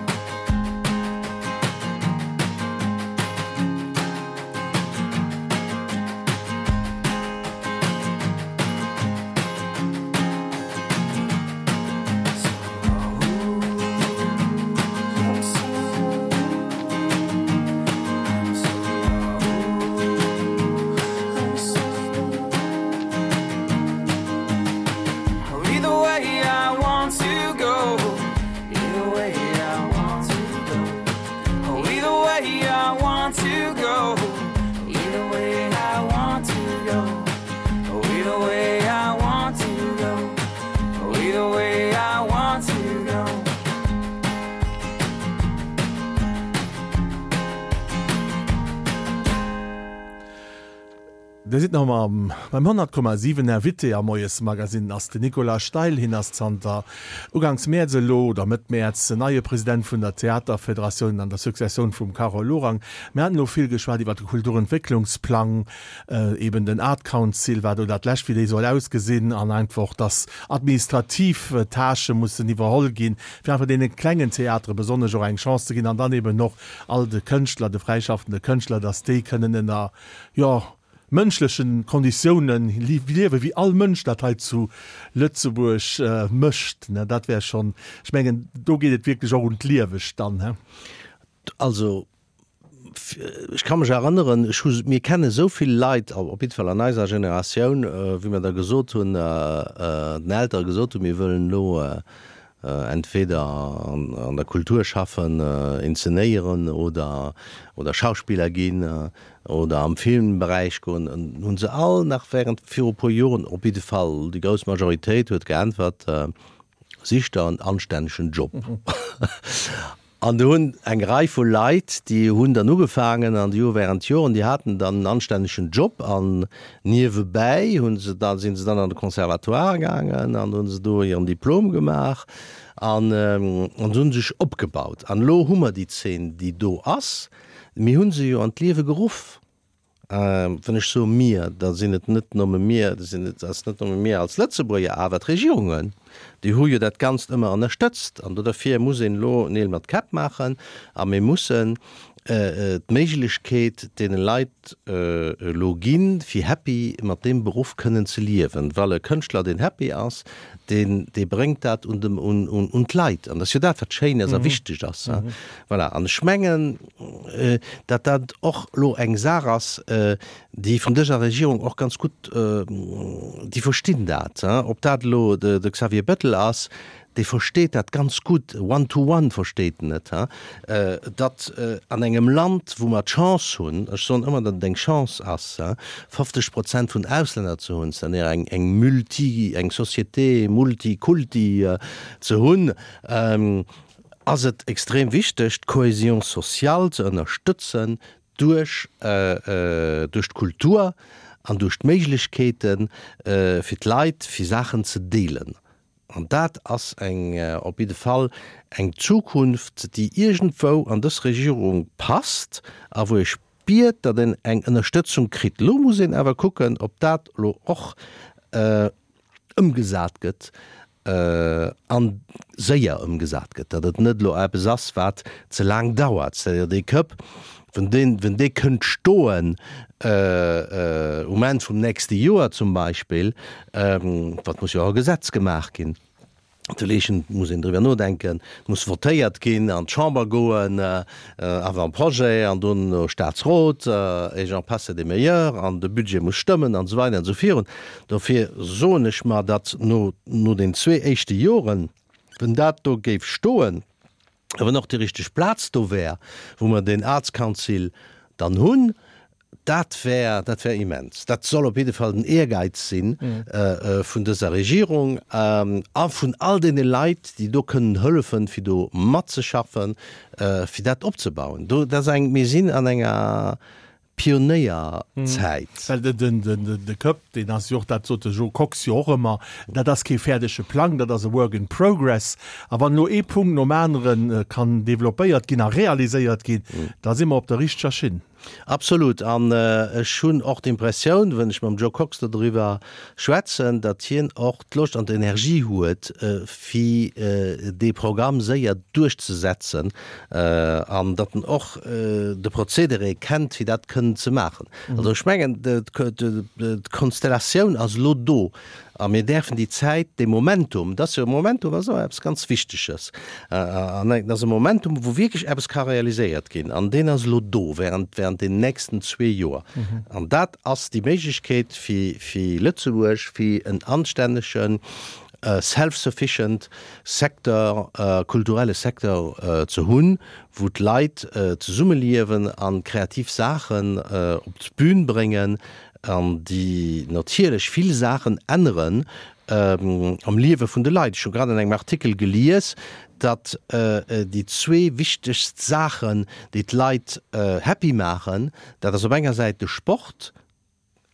Speaker 3: Either way I want to go. Either way I want to go. Oh, either way I want to go. Either way I want to go. Oh, either way I want to go. Oh, either way I want to go.
Speaker 1: Dir sidd nach ëmmer beim 100,7. Invité am Moiesmagazine ass den Nicolas Steil. Hien ass zanter uganks Mäerz elo, oder Mëtt Mäerz, neie President vun der Theaterfederatioun an der Successioun vum Carole Lorang. Mir haten elo vill geschwat iwwer de Kulturentwécklungsplang, eben den Art Council, wat elo dat lescht, wéi déi soll ausgesinn, an einfach, dass administrativ Tâchë mussen iwwerholl ginn, fir einfach deene klengen Theatere besonnesch och eng Chance ze ginn an dann eben och all de Kënschtler, de fräischaffende Kënschtler, dass déi kënnen ënner jo, mënschlechen Konditiounen liewen, wéi all Mënsch dat hei zu Lëtzebuerg mécht, ne, dat wär schonn, ech mengen, do geet et wierklech och un d'Liewegt dann, he.
Speaker 2: Also, ech ka mech erënneren, ech hu, mir kenne esou vill Leit, op jidde Fall an eiser Generatioun, wéi mer da gesot hunn, den Eltere gesot hunn, mir wëllen elo entweder an der Kultur schaffen, inzenéieren oder oder Schauspiller ginn oder am Filmberäich goen, hunn se all nach während viru puer Joren, op jidde Fall déi grouss Majoritéit huet geäntwert. Sich der en anstännegen Job. An do hunn eng Rei vu Leit, déi hunn dann ugefaangen an déi hu während Joren, déi haten dann en anstännegen Job an niewebäi hu se da, si se dann an de Conservatoire gaangen an hu se do hiren Diplom gemaach an an se hu sech opgebaut. An elo hu mer déi Zeen, déi do ass. Mir hu se jo an d'Liewe geruff. Wann ech soe mir, da sinn et net nëmme mir, da sinn et, ass net nëmme mir als Lëtzebuerger, awer d'Regierungen, déi hu jo dat Ganzt ëmmer ënnerstëtzt. An dofir muss een elo Neel mat Käpp maachen a mir mussen d'Méiglechkeet deene Leit elo ginn, fir happy mat deem Beruff kënnen ze liewen. Well e Kënschtler, deen happy ass, deen, dee bréngt dat un de, un, un d'Leit. An dat ass jo dat, wat schéin ass a wichteg ass. Voilà. An ech mengen, datt dat och elo eng Saach ass, déi vun dëser Regierung och ganz gutt, déi verstinn dat, ob dat elo de Xavier Bettel ass, dee versteet dat ganz gutt, one to one versteet en et, datt an engem Land, wou mer d'Chance hunn, ech soen ëmmer, datt et eng Chance ass, 50 Prozent vun Auslänner ze hunn, c'est-à-dire eng eng multi, eng Société multikulti ze hunn, ass et extrem wichteg, d'Cohésion sociale ze ënnerstëtzen duerch duerch d'Kultur an duerch d'Méiglechkeete fir d'Leit, fir Saachen ze deelen. An dat ass eng op jidde Fall eng Zukunft, déi iergendwou an dës Regierung passt a wou ee spiert, datt een eng Ënnerstëtzung kritt. Elo muss een awer kucken, ob dat elo och ëmgesat gëtt a séier ëmgesat gëtt, datt et net elo eppes ass, wat ze laang dauert. C'est-à-dire dee Cup, wann deen, wann dee kënnt stoen um Enn vum nächste Joer zum Beispill, wat muss jo och e Gesetz gemaach ginn, Derleechen muss een driwwer nodenken, et muss votéiert ginn, an d'Chamber goen, Avant-projet, an dono Staatsrot, et j'en passe et des meilleurs, an de Budget muss stëmmen, an esou weider an esou virun. Dofir soen ech mer, datt no, no den zwee éischte Joren, wann dat do géif stoen, a wann och déi richteg Plaz do wär, wou mer deen Arts Council dann hunn, dat wär, dat wär immens. Dat soll op jidde Fall den Ehrgeiz si vun dëser Regierung a vun all deene Leit, déi do kënnen hëllefen, fir do matzeschaffen, fir dat opzebauen. Do, dat ass eng, mir sinn an enger Pionéierzäit.
Speaker 1: Well de Cup, deen ass jo och, dat sot de Jo Kox jo och ëmmer, dat ass kee fäerdege Plang, dat ass e Work in progress. A wann elo ee Punkt nom anere kann developpéiert ginn a realiséiert ginn, da si mer op der richteger Schinn.
Speaker 2: Absolut. An ech hunn och d'Impressioun, wann ech mam Joe Kox do doriwwer schwätzen, datt hien och d'Loscht an d'Energie huet, fir dee Programm séier duerchzesetzen an datt en och de Prozedere kennt, fir dat kënnen ze maachen. Also ech mengen, d'Konstellatioun ass elo do a mir däerfen déi Zäit, dee Momentum, dat ass jo e Momentum ass och eppes ganz Wichteges, an dat ass e Momentum, wou wierklech eppes ka realiséiert ginn an deen ass elo do während, während den nächsten zwee Joer. An dat ass déi Méiglechkeet fir, fir Lëtzebuerg, fir en anstännegen, self-sufficient Secteur, kulturelle Secteur ze hunn, wou d'Leit zesummeliewen a kreativ Saachen op d'Bün bréngen an déi natierlech vill Saachen änneren am Liewe vun de Leit. Ech hu grad an engem Artikel gelies, datt déi zwee wichtegst Saachen, déi d'Leit happy maachen, dat ass op enger Säit de Sport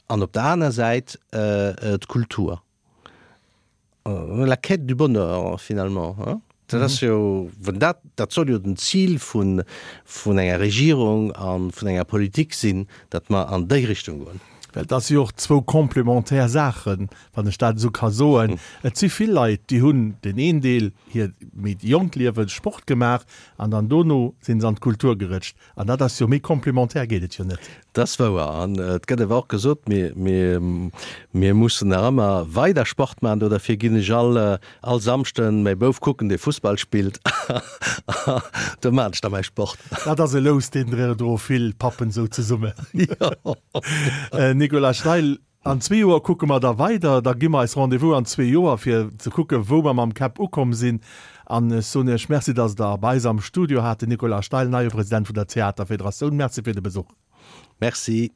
Speaker 2: an op der aner Säit d'Kultur. La quête du bonheur finalement, hein? Dat ass jo, wann dat, dat soll jo den Zil vun, vun enger Regierung a vun enger Politik sinn, datt mer an déi Richtung goen.
Speaker 1: Well dat si jo och zwou complémentaire Saachen, wann ech dat esou ka soen. Et si vill Leit, déi hunn den een Deel hir méi jonkt Liewe Sport gemaach an dann dono si se an d'Kultur gerëtscht. An dat ass jo, méi complémentaire geet et jo net.
Speaker 2: Dat ass wouer. An et gëtt awer och gesot, mir, mir, mir mussen nach ëmmer weider Sport maachen. Do derfir ginn ech all, all Samschden mäi Bouf kucken, dee Fussball spillt. Do maachen ech da mäi Sport.
Speaker 1: Dat ass e Lous, deen droe vill Pappen esou zesummen. Jo. Nicolas Schleil, An zwee Joer kucke mer da weider. Da gi mer eis Rendez-vous an zwee Joer, fir ze kucken, wou mer mam Käpp ukomm sinn. An ech soen Iech Merci, dass Der bei eis am Studio hat. Den Nicolas Steil, neie President vun der Theaterfederatioun. Merci fir de Besuch.
Speaker 2: Merci.